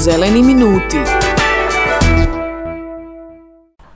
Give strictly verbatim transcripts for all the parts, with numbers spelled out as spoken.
Zeleni minuti.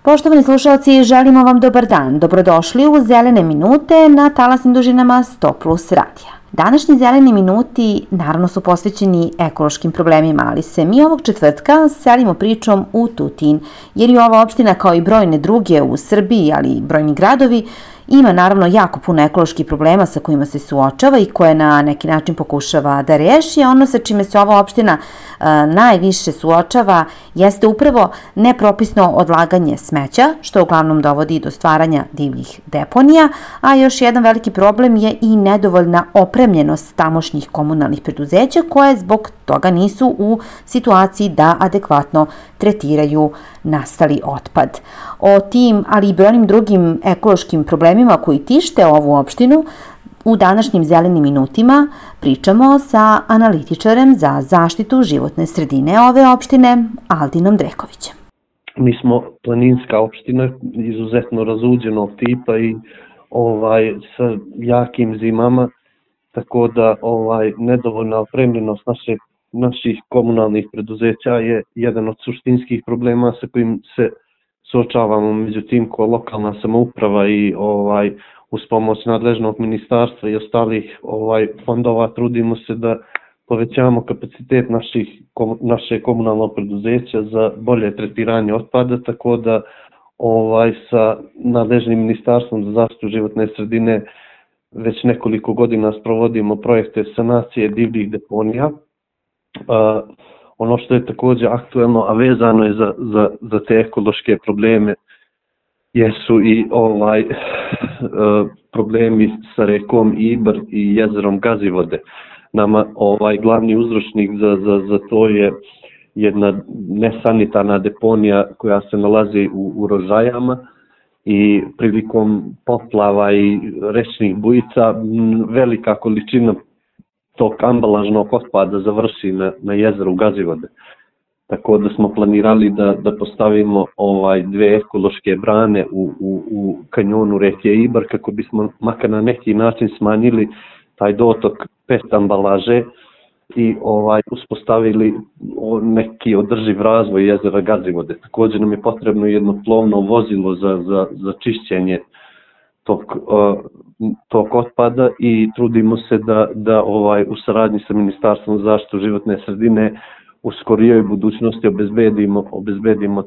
Poštovani slušalci, želimo vam dobar dan. Dobrodošli u Zelene minute na talasnim dužinama sto plus radija. Današnji Zeleni minuti naravno su posvećeni ekološkim problemima, ali se mi ovog četvrtka selimo pričom u Tutin, jer i ova opština kao i brojne druge u Srbiji, ali i brojni gradovi, ima naravno jako puno ekoloških problema sa kojima se suočava i koje na neki način pokušava da reši. Ono sa čime se ova opština a, najviše suočava jeste upravo nepropisno odlaganje smeća, što uglavnom dovodi do stvaranja divljih deponija, a još jedan veliki problem je i nedovoljna opremljenost tamošnjih komunalnih preduzeća koje zbog toga nisu u situaciji da adekvatno tretiraju nastali otpad. O tim, ali i brojnim drugim ekološkim problemima koji tište ovu opštinu u današnjim Zelenim minutima pričamo sa analitičarem za zaštitu životne sredine ove opštine, Aldinom Drekovićem. Mi smo planinska opština, izuzetno razuđenog tipa i ovaj sa jakim zimama, tako da ovaj nedovoljna opremljenost naše naših komunalnih preduzeća je jedan od suštinskih problema sa kojim se suočavamo. Međutim, ko lokalna samouprava i ovaj uz pomoć nadležnog ministarstva i ostalih ovaj fondova trudimo se da povećamo kapacitet naših naše komunalnog preduzeća za bolje tretiranje otpada, tako da ovaj sa nadležnim ministarstvom za zaštitu životne sredine već nekoliko godina sprovodimo projekte sanacije divljih deponija. Uh, ono što je također aktuelno, a vezano je za, za, za te ekološke probleme, jesu i ovaj uh, problemi sa rekom Ibar i jezerom Gazivode. Nama ovaj glavni uzročnik za, za, za to je jedna nesanitarna deponija koja se nalazi u, u Rožajama i prilikom poplava i rečnih bujica velika količina tog ambalažnog otpada završi na, na jezeru Gazivode. Tako da smo planirali da, da postavimo ovaj dve ekološke brane u, u, u kanjonu reke Ibar kako bismo makar na neki način smanjili taj dotok pet ambalaže i ovaj uspostavili neki održiv razvoj jezera Gazivode. Također nam je potrebno jedno plovno vozilo za, za, za čišćenje tog, uh, tog otpada i trudimo se da, da ovaj u saradnji sa Ministarstvom za zaštitu životne sredine u skorijoj budućnosti obezbedimo, obezbedimo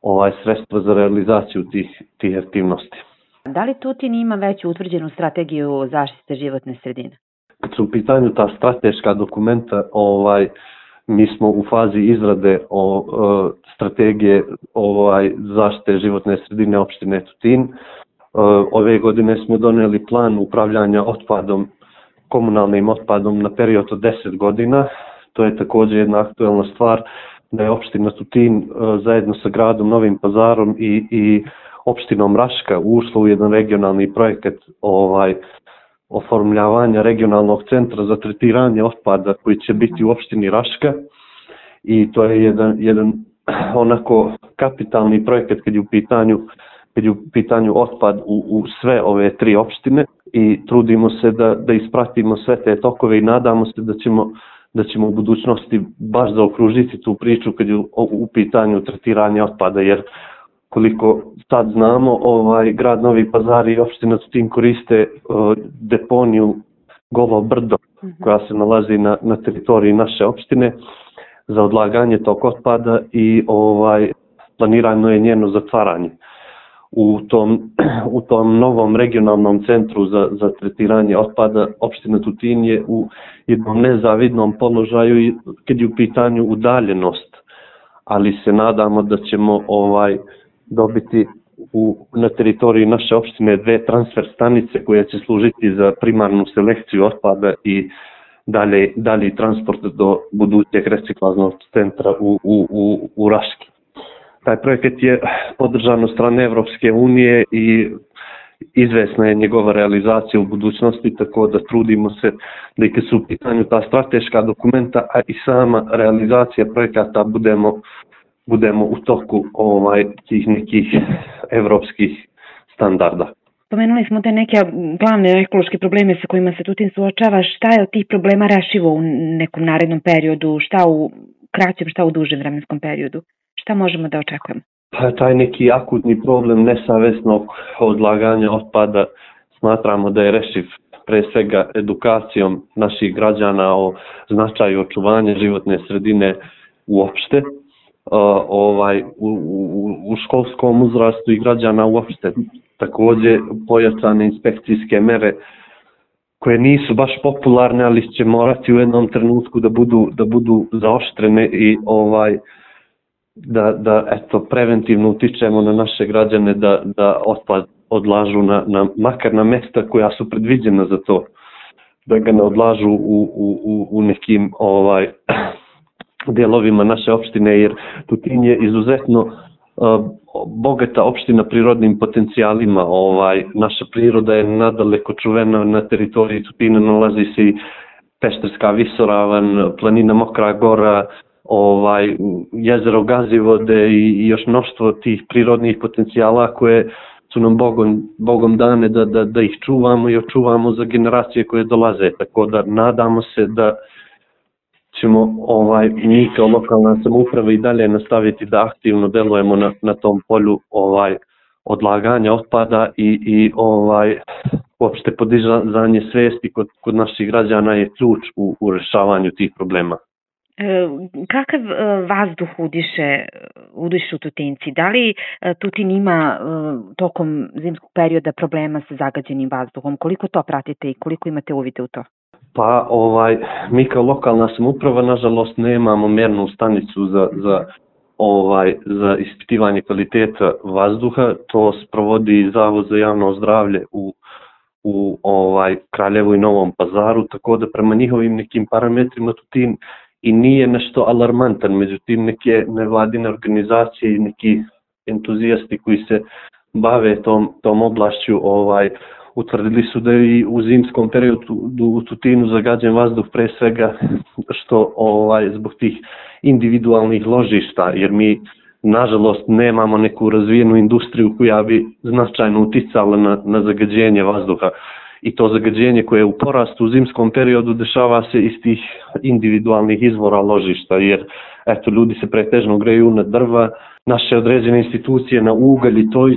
ovaj sredstva za realizaciju tih, tih aktivnosti. Da li Tutin ima već utvrđenu strategiju zaštite životne sredine? Kad su u pitanju ta strateška dokumenta, ovaj mi smo u fazi izrade o, o strategije ovaj zaštite životne sredine opštine Tutin. Ove godine smo donijeli plan upravljanja otpadom, komunalnim otpadom na period od deset godina. To je također jedna aktuelna stvar da je opština Tutin zajedno sa gradom Novim Pazarom i, i opštinom Raška ušla u jedan regionalni projekat ovaj, oformljavanja regionalnog centra za tretiranje otpada koji će biti u opštini Raška. I to je jedan, jedan onako kapitalni projekat kad je u pitanju kad je u pitanju otpad u, u sve ove tri opštine i trudimo se da, da ispratimo sve te tokove i nadamo se da ćemo, da ćemo u budućnosti baš zaokružiti tu priču kad je u, u pitanju tretiranja otpada, jer koliko sad znamo, ovaj grad Novi Pazar i opština Tutin koriste uh, deponiju Golo Brdo koja se nalazi na, na teritoriji naše opštine za odlaganje tog otpada i ovaj planirano je njeno zatvaranje. U tom, u tom novom regionalnom centru za, za tretiranje otpada opština Tutin je u jednom nezavidnom položaju i kad je u pitanju udaljenost, ali se nadamo da ćemo ovaj dobiti u, na teritoriji naše opštine dve transfer stanice koje će služiti za primarnu selekciju otpada i dalje, dalji transport do budućeg reciklažnog centra u, u, u, u Raški. Taj projekat je podržan od strane Evropske unije i izvesna je njegova realizacija u budućnosti, tako da trudimo se da i kad su u pitanju ta strateška dokumenta, a i sama realizacija projekata budemo, budemo u toku ovaj, tih nekih evropskih standarda. Pomenuli smo te neke glavne ekološke probleme sa kojima se Tutin suočava. Šta je od tih problema rešivo u nekom narednom periodu? Šta u kraćem, šta u dužem vremenskom periodu? Šta možemo da očekujemo? Pa taj neki akutni problem nesavesnog odlaganja otpada smatramo da je rešiv pre svega edukacijom naših građana o značaju očuvanja životne sredine uopšte, uh, ovaj, u, u, u školskom uzrastu i građana uopšte. Također pojačane inspekcijske mere koje nisu baš popularne, ali će morati u jednom trenutku da budu, da budu zaoštrene i ovaj, da, da eto, preventivno utičemo na naše građane da, da otpad odlažu na, na, makar na mjesta koja su predviđena za to, da ga ne odlažu u, u, u nekim ovaj, dijelovima naše opštine, jer Tutin je izuzetno uh, bogata opština prirodnim potencijalima. Ovaj, naša priroda je nadaleko čuvena, na teritoriji Tutina nalazi se i Pešterska visoravan, planina Mokra gora, ovaj, jezero Gazivode i, i još mnoštvo tih prirodnih potencijala koje su nam Bogom, Bogom dane da, da, da ih čuvamo i očuvamo za generacije koje dolaze. Tako da nadamo se da ćemo ovaj, mi kao lokalna samouprava i dalje nastaviti da aktivno delujemo na, na tom polju ovaj, odlaganja otpada i, i ovaj, uopšte podizanje svesti kod, kod naših građana je ključ u, u rešavanju tih problema. E, kakav e, vazduh udiše, udišu Tutinci? Da li e, Tutin ima e, tokom zimskog perioda problema sa zagađenim vazduhom? Koliko to pratite i koliko imate uvide u to? Pa ovaj, mi kao lokalna samouprava nažalost nemamo mjernu stanicu za, za, ovaj, za ispitivanje kvaliteta vazduha. To sprovodi Zavod za javno zdravlje u, u ovaj, Kraljevu i Novom Pazaru, tako da prema njihovim nekim parametrima Tutin i nije nešto alarmantan, međutim neke nevladine organizacije i neki entuzijasti koji se bave tom, tom oblašću ovaj, utvrdili su da i u zimskom periodu u Tutinu zagađen vazduh pre svega što ovaj, zbog tih individualnih ložišta, jer mi nažalost nemamo neku razvijenu industriju koja bi značajno uticala na, na zagađenje vazduha. I to zagađenje koje je u porastu u zimskom periodu dešava se iz tih individualnih izvora ložišta, jer eto, ljudi se pretežno greju na drva, naše određene institucije na ugalj i to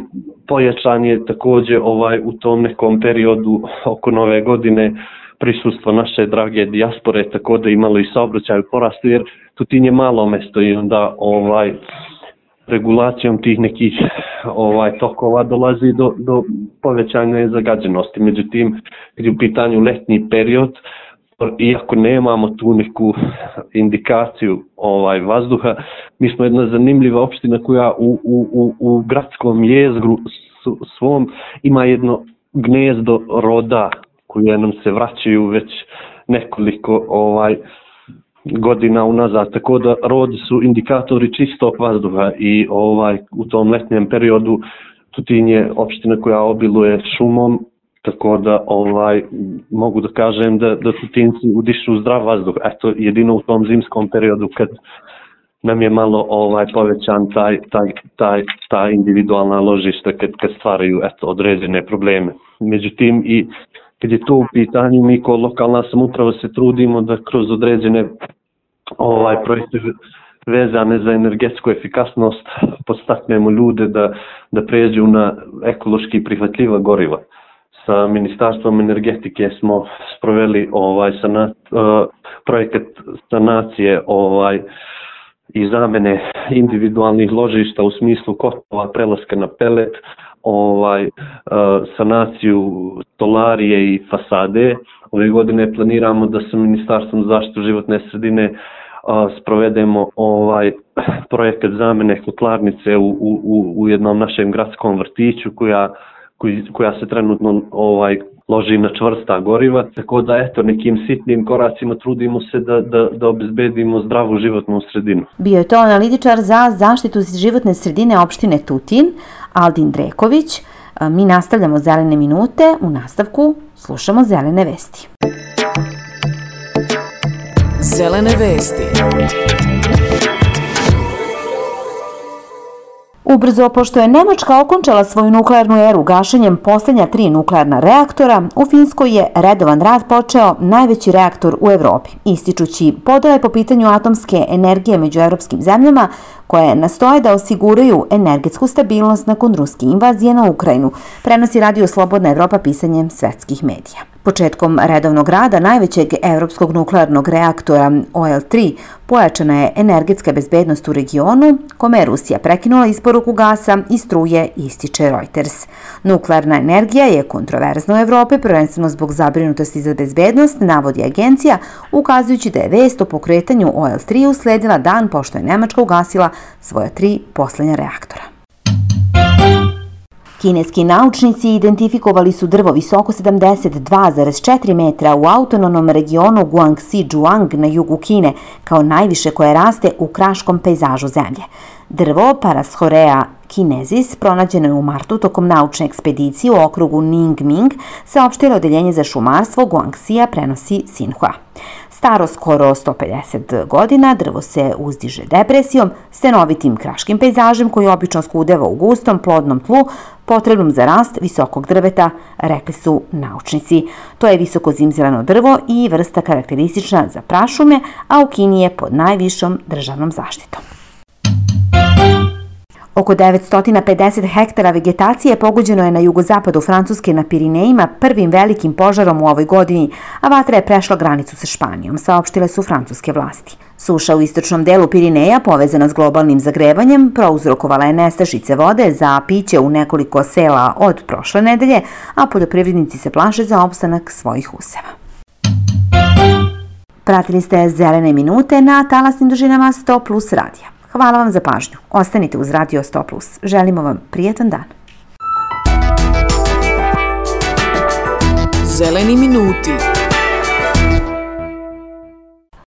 pojačan je također ovaj, u tom nekom periodu oko nove godine prisustvo naše drage dijaspore, tako da imalo i saobraćaj u porastu, jer Tutin je malo mesto i onda ovaj, regulacijom tih nekih ovaj, tokova dolazi do, do povećanja zagađenosti. Međutim, kad je u pitanju letnji period, iako nemamo tu neku indikaciju ovaj, vazduha, mi smo jedna zanimljiva opština koja u, u, u, u gradskom jezgru svom ima jedno gnezdo roda koje nam se vraćaju već nekoliko ovaj, godina unazad, tako da rodi su indikatori čistog vazduha i ovaj, u tom letnjem periodu Tutin je opština koja obiluje šumom, tako da ovaj, mogu da kažem da, da Tutinci udišu zdrav vazduh. Eto, jedino u tom zimskom periodu kad nam je malo ovaj, povećan taj, taj, taj, taj individualna ložišta kad, kad stvaraju eto, određene probleme. Međutim, i kad je to u pitanju, mi kao lokalna samouprava se trudimo da kroz određene ovaj, projekte vezane za energetsku efikasnost podstaknemo ljude da, da pređu na ekološki prihvatljiva goriva. Sa Ministarstvom energetike smo sproveli ovaj, sanat, uh, projekat sanacije ovaj, i zamene individualnih ložišta u smislu kotlova, prelaska na pelet, ovaj, uh, sanaciju stolarije i fasade. Ove godine planiramo da sa Ministarstvom zaštite životne sredine uh, sprovedemo ovaj, projekat zamene kotlarnice u, u, u jednom našem gradskom vrtiću koja, koji, koja se trenutno ovaj, loži na čvrsta goriva, tako da eto nekim sitnim koracima trudimo se da, da, da obezbedimo zdravu životnu sredinu. Bio je to analitičar za zaštitu životne sredine opštine Tutin, Aldin Dreković. Mi nastavljamo zelene minute, u nastavku slušamo zelene vesti. Zelene vesti. Ubrzo, pošto je Nemačka okončala svoju nuklearnu eru gašenjem posljednja tri nuklearna reaktora, u Finskoj je redovan rad počeo najveći reaktor u Evropi, ističući podele po pitanju atomske energije među evropskim zemljama koje nastoje da osiguraju energetsku stabilnost nakon ruske invazije na Ukrajinu, prenosi Radio Slobodna Evropa pisanjem svetskih medija. Početkom redovnog rada najvećeg evropskog nuklearnog reaktora O L tri pojačana je energetska bezbednost u regionu, kome je Rusija prekinula isporuku gasa i struje, ističe Reuters. Nuklearna energija je kontroverzna u Evropi, prvenstveno zbog zabrinutosti za bezbednost, navodi agencija, ukazujući da je vest o pokretanju O L tri usledila dan pošto je Nemačka ugasila svoja tri poslednja reaktora. Kineski naučnici identifikovali su drvo visoko sedamdeset dva zarez četiri metra u autonomnom regionu Guangxi-Zhuang na jugu Kine, kao najviše koje raste u kraškom pejzažu zemlje. Drvo Paraschorea kinezis pronađeno je u martu tokom naučne ekspedicije u okrugu Ningming, saopštilo odeljenje za šumarstvo Guangxija, prenosi Xinhua. Staro skoro sto pedeset godina, drvo se uzdiže depresijom, stenovitim kraškim pejzažem koji obično skudeva u gustom, plodnom tlu, potrebnom za rast visokog drveta, rekli su naučnici. To je visoko zimzeleno drvo i vrsta karakteristična za prašume, a u Kini je pod najvišom državnom zaštitom. Oko devetsto pedeset hektara vegetacije pogođeno je na jugozapadu Francuske na Pirinejima prvim velikim požarom u ovoj godini, a vatra je prešla granicu sa Španijom, saopštile su francuske vlasti. Suša u istočnom delu Pirineja, povezana s globalnim zagrevanjem, prouzrokovala je nestašice vode za piće u nekoliko sela od prošle nedelje, a poljoprivrednici se plaše za opstanak svojih useva. Pratili ste Zelene minute na talasnim dužinama sto plus radija. Hvala vam za pažnju. Ostanite uz Radio sto plus. Želimo vam prijetan dan. Zeleni minuti.